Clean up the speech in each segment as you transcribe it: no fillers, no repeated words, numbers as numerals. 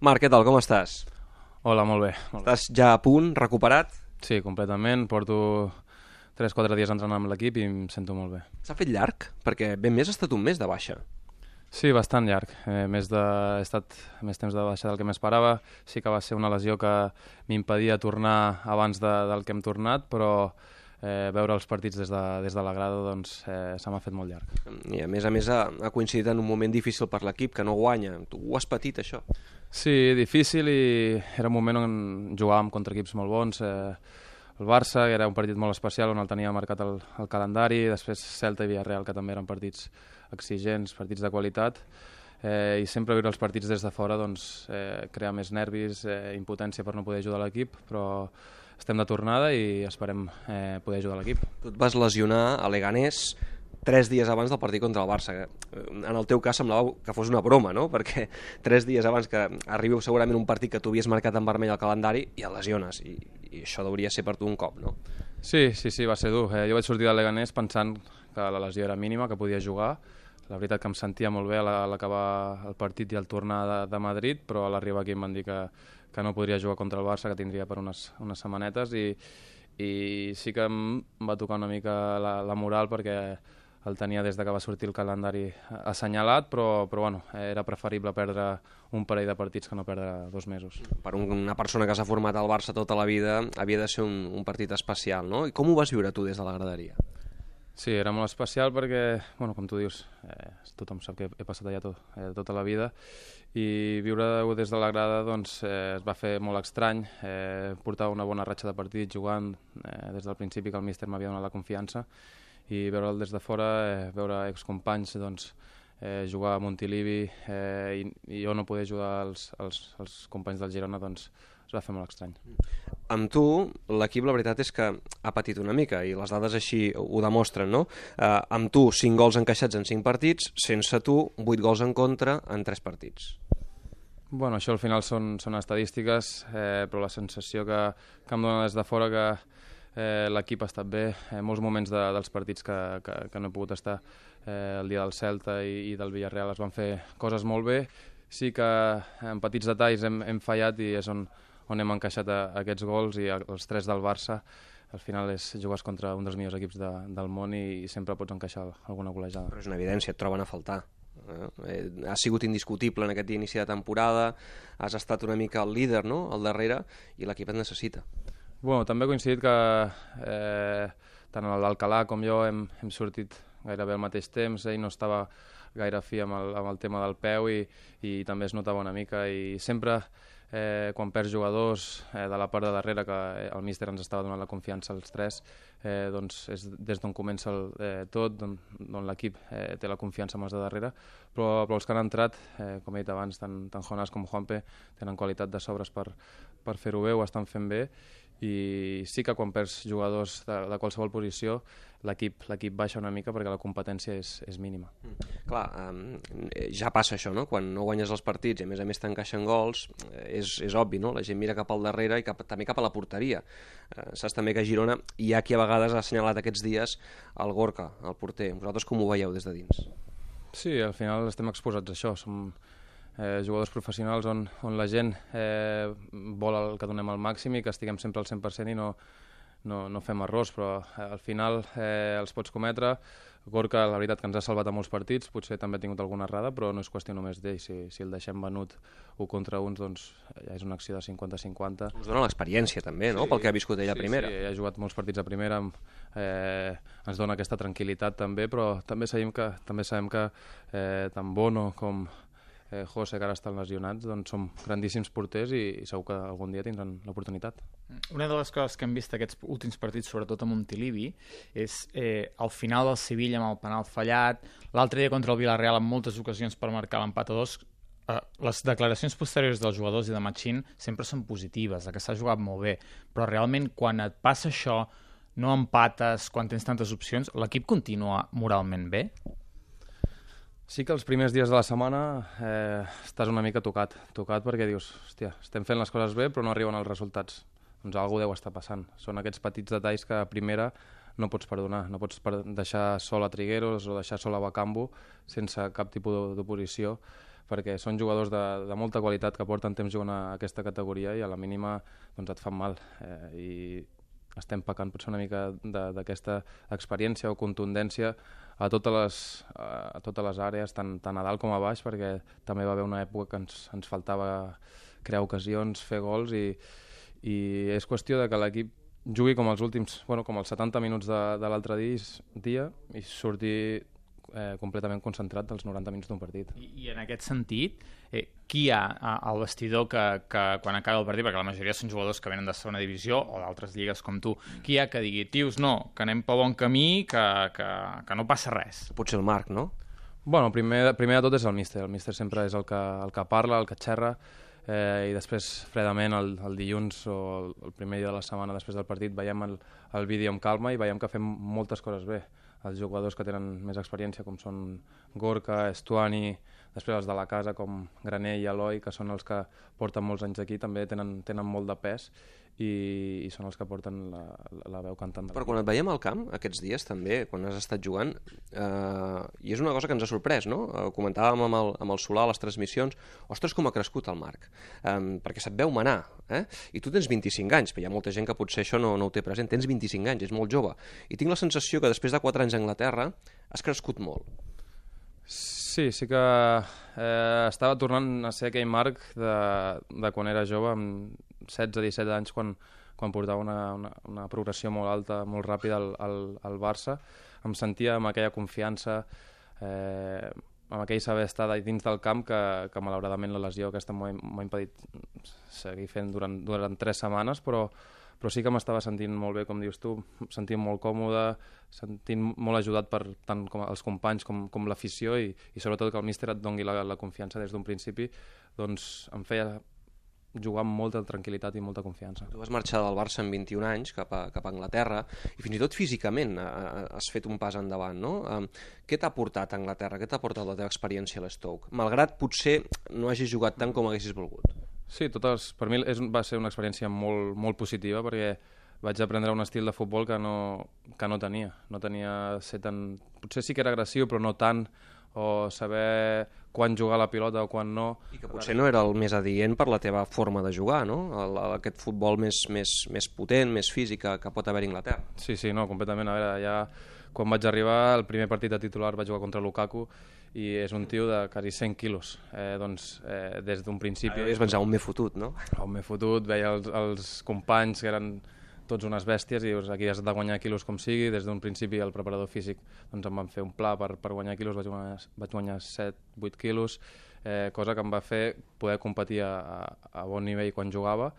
Marc, què tal, com estàs? Hola, molt bé. Estàs ja a punt, recuperat? Sí, completament. Porto 3-4 dies entrenant amb l'equip i em sento molt bé. S'ha fet llarg? Perquè ben més ha estat un mes de baixa. Sí, bastant llarg. He estat més temps de baixa del que m'esperava. Sí que va ser una lesió que m'impedia tornar abans del que hem tornat, però veure els partits des de la grada doncs, se m'ha fet molt llarg. I a més ha coincidit en un moment difícil per l'equip, que no guanya. Tu ho has patit, això? Sí, difícil, i era un moment on jugàvem contra equips molt bons. El Barça, que era un partit molt especial on el tenia marcat el calendari, després Celta i Villarreal, que també eren partits exigents, partits de qualitat, i sempre viure els partits des de fora doncs, crea més nervis, impotència per no poder ajudar l'equip, però estem de tornada i esperem poder ajudar l'equip. Tu et vas lesionar a Leganés 3 dies abans del partit contra el Barça. En el teu cas semblava que fos una broma, no? Perquè 3 dies abans que arribi segurament un partit que tu havies marcat en vermell al calendari i el lesiones, i això hauria ser per tu un cop, no? Sí, va ser dur. Jo vaig sortir del Leganés pensant que la lesió era mínima, que podia jugar. La veritat que em sentia molt bé a l'acabar el partit i al tornar de Madrid, però a l'arribar aquí em van dir que no podria jugar contra el Barça, que tindria per unes setmanetes, i sí que em va tocar una mica la moral, perquè el tenia des que va sortir el calendari assenyalat, però bueno, era preferible perdre un parell de partits que no perdre 2 mesos. Per una persona que s'ha format al Barça tota la vida havia de ser un partit especial, no? I com ho vas viure tu des de la graderia? Sí, era molt especial perquè, bueno, com tu dius, tothom sap que he passat allà tota la vida, i viure-ho des de la grada doncs, es va fer molt estrany. Portava una bona ratxa de partits jugant des del principi, que el míster m'havia donat la confiança, i veure'l des de fora, veure excompanys doncs, jugar a Montilivi, i jo no poder ajudar els companys del Girona, doncs es va fer molt estrany. Amb tu, l'equip, la veritat és que ha patit una mica, i les dades així ho demostren, no? Amb tu, 5 gols encaixats en 5 partits, sense tu, 8 gols en contra en 3 partits. Bueno, això al final són estadístiques, però la sensació que em dona des de fora que l'equip ha estat bé. Molts moments dels partits que no he pogut estar, el dia del Celta i del Villarreal, es van fer coses molt bé. Sí que en petits detalls hem fallat, i és on hem encaixat aquests gols, i els 3 del Barça. Al final jugues contra un dels millors equips del món i sempre pots encaixar alguna golejada. Però és una evidència, et troben a faltar. Has sigut indiscutible en aquest inici de temporada, has estat una mica el líder, no?, al darrere, i l'equip et necessita. Bueno, també ha coincidit que tant l'Alcalà com jo hem sortit gairebé al mateix temps. Ell no estava gaire fi amb el tema del peu, i també es notava una mica, i sempre quan perds jugadors de la part de darrere, que el míster ens estava donant la confiança als 3, doncs és des d'on comença tot, d'on l'equip té la confiança amb els de darrere, però els que han entrat, com he dit abans, tant Jonás com Juanpe, tenen qualitat de sobres per fer-ho bé, ho estan fent bé, i sí que quan perds jugadors de qualsevol posició l'equip baixa una mica, perquè la competència és mínima. Clar, ja passa això, no? Quan no guanyes els partits i a més t'encaixen gols, és obvi, no? La gent mira cap al darrere i també cap a la porteria. Saps també que a Girona hi ha qui a vegades ha assenyalat aquests dies el Gorka, el porter. Vosaltres com ho veieu des de dins? Sí, al final estem exposats a això. Som jugadors professionals on la gent vol que donem el màxim i que estiguem sempre al 100% i no fem errors, però al final els pots cometre. Gorka, la veritat que ens ha salvat a molts partits, potser també ha tingut alguna errada, però no és qüestió només d'ell. Si el deixem venut 1 contra 1, doncs ja és una acció de 50-50. Us dona l'experiència també, no?, pel que ha viscut ell a primera. Sí, ha jugat molts partits a primera, ens dona aquesta tranquil·litat també, però també sabem que tant Bono com José, que ara estan lesionats, doncs som grandíssims porters, i segur que algun dia tindran l'oportunitat. Una de les coses que hem vist aquests últims partits, sobretot a Montilivi, és al final del Sevilla amb el penal fallat, l'altre dia contra el Villarreal en moltes ocasions per marcar l'empat a 2. Les declaracions posteriors dels jugadors i de Machín sempre són positives, que s'ha jugat molt bé, però realment quan et passa això, no empates, quan tens tantes opcions, l'equip continua moralment bé? Sí que els primers dies de la setmana estàs una mica tocat perquè dius, hòstia, estem fent les coses bé però no arriben els resultats. Doncs alguna deu estar passant. Són aquests petits detalls que a primera no pots perdonar. No pots deixar sol a Trigueros o deixar sol a Bakambu sense cap tipus d'oposició, perquè són jugadors de molta qualitat que porten temps jugant a aquesta categoria i a la mínima doncs, et fan mal. I estem pecant potser una mica d'aquesta experiència o contundència a totes les àrees, tant a dalt com a baix, perquè també va haver una època que ens faltava crear ocasions, fer gols i és qüestió de que l'equip jugui com els últims, com els 70 minuts de l'altre dia i surti completament concentrat dels 90 minuts d'un partit. I en aquest sentit, qui hi ha al vestidor que quan acaba el partit, perquè la majoria són jugadors que venen de segona divisió o d'altres lligues com tu, qui hi ha que digui, tios, no, que anem pel bon camí, que no passa res? Potser el Marc, no? Bueno, primer de tot és el míster. El míster sempre és el que parla, el que xerra, i després, fredament, el dilluns o el primer dia de la setmana després del partit veiem el vídeo amb calma i veiem que fem moltes coses bé. Els jugadors que tenen més experiència, com són Gorka, Estuani, després els de la casa, com Graner i Eloi, que són els que porten molts anys aquí, també tenen molt de pes i són els que porten la veu cantant. Però quan et veiem al camp, aquests dies també, quan has estat jugant, i és una cosa que ens ha sorprès, no? Comentàvem amb el Solà a les transmissions, ostres, com ha crescut el Marc, perquè se't veu manar, i tu tens 25 anys, però hi ha molta gent que potser això no ho té present, tens 25 anys, és molt jove, i tinc la sensació que després de 4 anys a Anglaterra has crescut molt. Sí que estava tornant a ser aquell Marc de quan era jove, amb 16-17 anys, quan portava una progressió molt alta, molt ràpida al Barça. Em sentia amb aquella confiança, amb aquell saber estar dins del camp que malauradament la lesió aquesta m'ha impedit seguir fent durant 3 setmanes, però sí que m'estava sentint molt bé, com dius tu, sentint molt còmode, sentint molt ajudat per tant com els companys com l'afició i sobretot que el míster et doni la confiança des d'un principi, doncs em feia jugar amb molta tranquil·litat i molta confiança. Tu vas marxar del Barça amb 21 anys cap a Anglaterra i fins i tot físicament has fet un pas endavant, no? Què t'ha portat a Anglaterra? Què t'ha portat la teva experiència a l'Stoke? Malgrat potser no hagis jugat tant com haguessis volgut. Sí, per mi va ser una experiència molt, molt positiva perquè vaig aprendre un estil de futbol que no tenia. No tenia ser tan... Potser sí que era agressiu, però no tant, o saber quan jugar la pilota o quan no. I que potser no era el més adient per la teva forma de jugar, no? Aquest futbol més potent, més físic que pot haver a Anglaterra. Sí, no, completament. A veure, ja quan vaig arribar, el primer partit de titular vaig jugar contra Lukaku i és un tio de quasi 100 quilos. Des d'un principi... És pensar, on m'he fotut, no? On m'he fotut, veia els companys que eren tots unes bèsties i aquí has de guanyar quilos com sigui. Des d'un principi el preparador físic em van fer un pla per guanyar quilos, vaig guanyar 7-8 quilos, cosa que em va fer poder competir a bon nivell quan jugava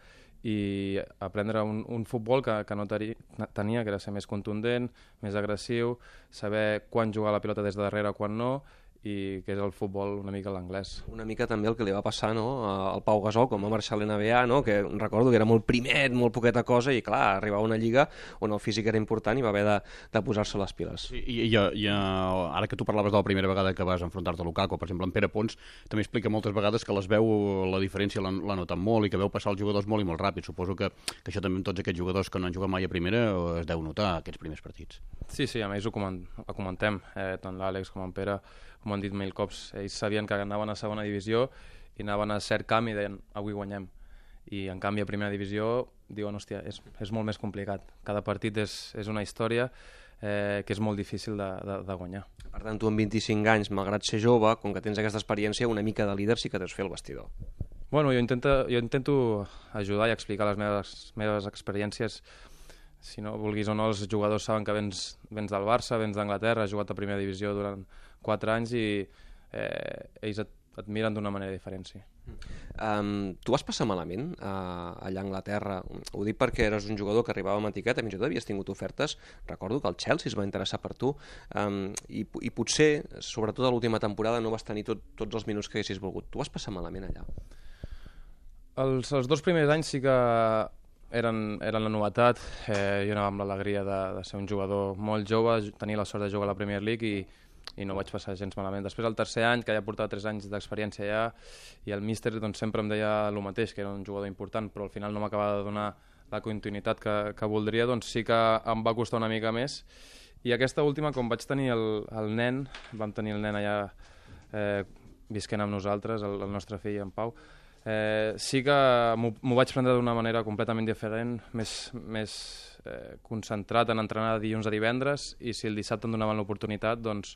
i aprendre un futbol que no tenia, que era ser més contundent, més agressiu, saber quan jugar la pilota des de darrere, quan no, i que és el futbol una mica l'anglès. Una mica també el que li va passar, no?, al Pau Gasol, com va marxar a l'NBA, no?, que recordo que era molt primet, molt poqueta cosa, i clar, arribava a una lliga on el físic era important i va haver de posar-se les piles. Sí, i ara que tu parlaves de la primera vegada que vas enfrontar-te a Lukaku, per exemple, en Pere Pons també explica moltes vegades que les veu, la diferència la noten molt i que veu passar els jugadors molt i molt ràpid. Suposo que això també amb tots aquests jugadors que no han jugat mai a primera es deu notar, aquests primers partits. Sí, a més ho comentem, tant l'Àlex com en Pere, com han dit mil cops, ells sabien que anaven a segona divisió i anaven a cert camp i deien, avui guanyem. I en canvi a primera divisió diuen, hòstia, és molt més complicat. Cada partit és una història que és molt difícil de guanyar. Per tant, tu amb 25 anys, malgrat ser jove, com que tens aquesta experiència, una mica de líder sí que deus fer el vestidor. Bueno, jo intento ajudar i explicar les meves experiències. Si no vulguis o no, els jugadors saben que vens del Barça, vens d'Anglaterra, has jugat a primera divisió durant 4 anys i ells et miren d'una manera diferent, sí. Tu vas passar malament allà a Anglaterra? Ho dic perquè eres un jugador que arribava amb etiqueta, fins i tot havies tingut ofertes. Recordo que el Chelsea es va interessar per tu i potser, sobretot a l'última temporada, no vas tenir tots els minuts que haguessis volgut. Tu vas passar malament allà? Els 2 primers anys sí que eren la novetat. Jo anava amb l'alegria de ser un jugador molt jove, tenir la sort de jugar a la Premier League i no vaig passar gens malament. Després, el tercer any, que ja portava 3 anys d'experiència allà, i el míster sempre em deia el mateix, que era un jugador important, però al final no m'acabava de donar la continuïtat que voldria, doncs sí que em va costar una mica més. I aquesta última, com vaig tenir el nen, vam tenir el nen allà visquent amb nosaltres, el nostre fill, en Pau. Sí que m'ho vaig prendre d'una manera completament diferent, més concentrat en entrenar de dilluns a divendres, i si el dissabte em donaven l'oportunitat, doncs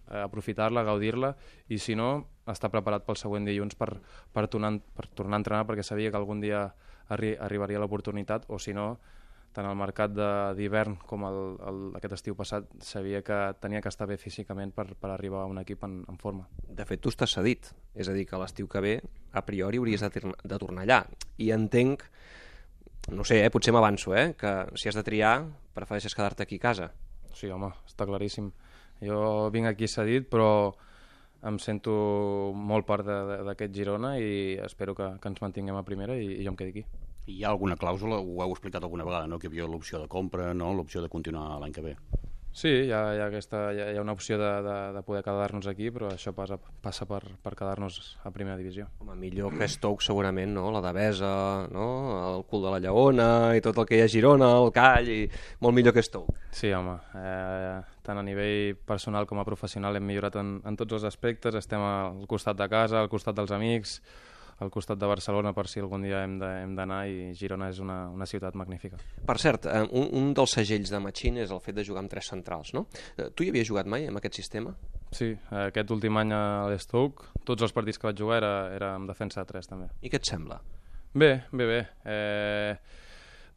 aprofitar-la, gaudir-la, i si no, estar preparat pel següent dilluns per tornar a entrenar, perquè sabia que algun dia arribaria l'oportunitat, o si no, tant el mercat d'hivern com aquest estiu passat, sabia que tenia que estar bé físicament per arribar a un equip en forma. De fet, tu estàs cedit, és a dir, que l'estiu que ve, a priori, hauries de tornar allà. I entenc, no sé, potser m'avanço, que si has de triar, prefereixes quedar-te aquí a casa. Sí, home, està claríssim. Jo vinc aquí cedit, però em sento molt part d'aquest Girona i espero que ens mantinguem a primera i jo em quedi aquí. Hi ha alguna clàusula, ho heu explicat alguna vegada, no? Que hi havia l'opció de compra, no? L'opció de continuar l'any que ve. Sí, hi ha una opció de poder quedar-nos aquí, però això passa per quedar-nos a primera divisió. Home, millor que Stoke segurament, no? La Devesa, no? El cul de la Lleona i tot el que hi ha a Girona, el Call, i molt millor que Stoke. Sí, home, tant a nivell personal com a professional hem millorat en tots els aspectes, estem al costat de casa, al costat dels amics, al costat de Barcelona per si algun dia hem d'anar, i Girona és una ciutat magnífica. Per cert, un dels segells de Machín és el fet de jugar amb 3 centrals, no? Tu hi havies jugat mai amb aquest sistema? Sí, aquest últim any a l'Stoke, tots els partits que vaig jugar era amb defensa de 3 també. I què et sembla? Bé.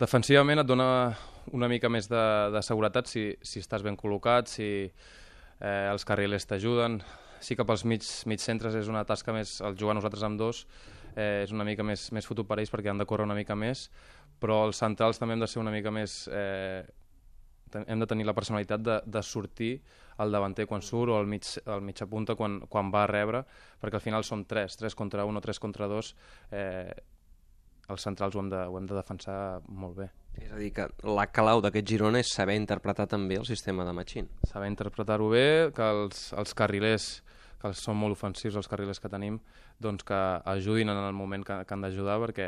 Defensivament et dona una mica més de seguretat si estàs ben col·locat, si els carrilers t'ajuden. Sí que pels mig centres és una tasca més, el jugar nosaltres amb 2 és una mica més fotut per ells perquè han de córrer una mica més, però els centrals també hem de ser una mica més, hem de tenir la personalitat de sortir al davanter quan surt, o al mitja punta quan va a rebre, perquè al final som 3 contra 1 o 3 contra 2, els centrals ho hem de defensar molt bé. És a dir, que la clau d'aquest Girona és saber interpretar també el sistema de Machín. Saber interpretar-ho bé, que els carrilers, que són molt ofensius els carrilers que tenim, doncs que ajudin en el moment que han d'ajudar, perquè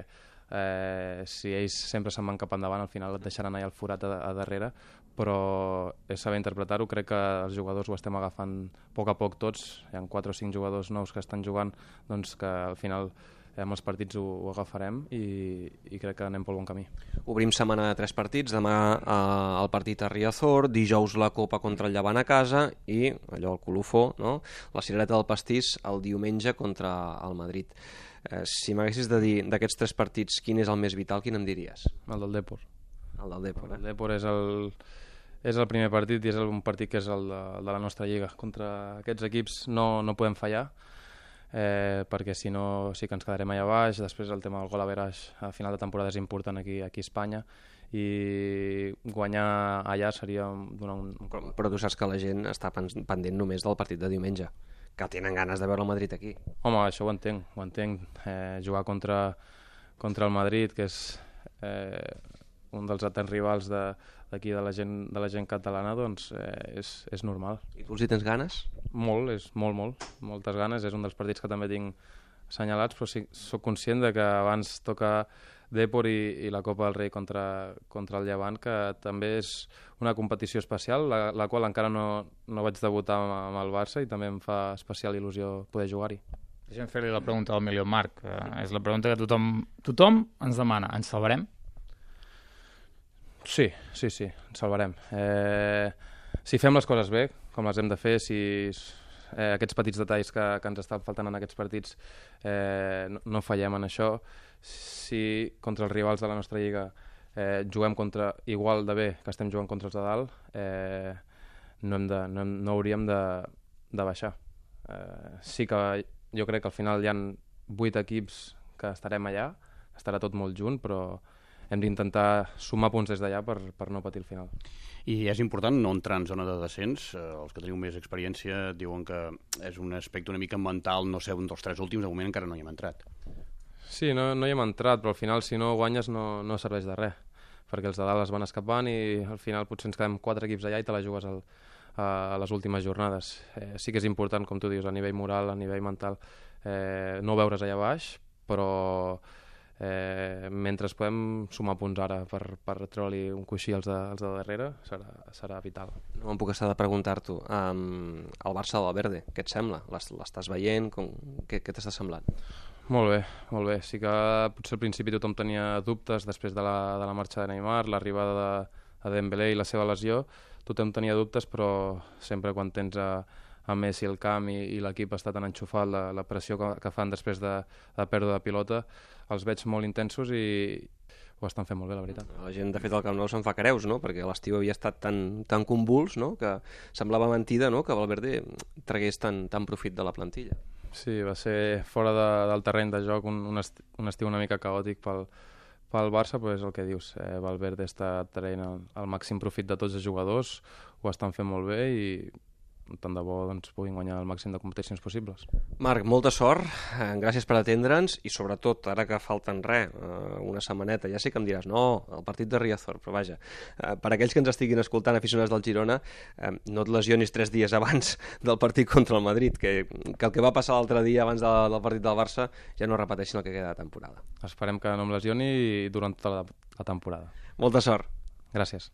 si ells sempre se'n van cap endavant, al final et deixaran allà el forat a darrere, però és saber interpretar-ho. Crec que els jugadors ho estem agafant a poc tots, hi ha 4 o 5 jugadors nous que estan jugant, doncs que al final amb els partits ho agafarem i crec que anem pel bon camí. Obrim setmana de 3 partits, demà el partit a Riazor, dijous la Copa contra el Llevant a casa i allò, el colofó, no? La cirereta del pastís el diumenge contra el Madrid. Si m'haguessis de dir d'aquests 3 partits quin és el més vital, quin em diries? El del Depor. El del Depor, El Depor és el primer partit i és un partit que és el de la nostra lliga. Contra aquests equips no podem fallar, perquè si no sí que ens quedarem allà baix. Després el tema del gol average a final de temporada és important aquí a Espanya, i guanyar allà seria donar un... Però tu saps que la gent està pendent només del partit de diumenge, que tenen ganes de veure el Madrid aquí. Home, això ho entenc. Jugar contra el Madrid, que és un dels eterns rivals d'aquí de la gent catalana, doncs és normal. I tu els hi tens ganes? Molt, moltes ganes. És un dels partits que també tinc assenyalats, però sí, soc conscient de que abans toca Depor i la Copa del Rei contra el Llevant, que també és una competició especial, la qual encara no vaig debutar amb el Barça, i també em fa especial il·lusió poder jugar-hi. Deixa'm fer-li la pregunta al Emilio Marc. És la pregunta que tothom ens demana. Ens salvarem? Sí, ens salvarem. Si fem les coses bé, com les hem de fer, si aquests petits detalls que ens estan faltant en aquests partits no fallem en això, si contra els rivals de la nostra lliga juguem igual de bé que estem jugant contra els de dalt, no hauríem de baixar. Sí que jo crec que al final hi ha 8 equips que estarem allà, estarà tot molt junt, però hem d'intentar sumar punts des d'allà per no patir el final. I és important no entrar en zona de descens. Els que teniu més experiència diuen que és un aspecte una mica mental, no sé, un dels 3 últims, de moment encara no hi hem entrat. Sí, no hi hem entrat, però al final si no guanyes no serveix de res, perquè els de dalt es van escapant i al final potser ens quedem 4 equips allà i te la jugues a les últimes jornades. Sí que és important, com tu dius, a nivell moral, a nivell mental, no veure's allà baix, però mentre podem sumar punts ara per treure-li un coixí als de darrere, serà vital. No em puc estar de preguntar-t'ho. El Barça de Valverde, què et sembla? L'estàs veient? Què t'està semblant? Molt bé, molt bé. Sí que potser al principi tothom tenia dubtes després de la marxa de Neymar, l'arribada de Dembélé i la seva lesió. Tothom tenia dubtes, però sempre quan tens a Messi al camp i l'equip està tan enxufat, la pressió que fan després de pèrdua de pilota, els veig molt intensos i ho estan fent molt bé, la veritat. La gent, de fet, al Camp Nou se'n fa creus, no? Perquè l'estiu havia estat tan convuls, no? Que semblava mentida, no? Que Valverde tragués tant profit de la plantilla. Sí, va ser fora del terreny de joc un estiu una mica caòtic pel Barça, però és el que dius. Valverde està traient el màxim profit de tots els jugadors, ho estan fent molt bé i tant de bo puguin guanyar el màxim de competicions possibles. Marc, molta sort, gràcies per atendre'ns i sobretot, ara que falten una setmaneta, ja sé que em diràs no, el partit de Riazor, però vaja, per aquells que ens estiguin escoltant, aficionats del Girona, no et lesionis 3 dies abans del partit contra el Madrid, que el que va passar l'altre dia abans del partit del Barça ja no repeteixin el que queda de temporada. Esperem que no em lesioni durant tota la temporada. Molta sort. Gràcies.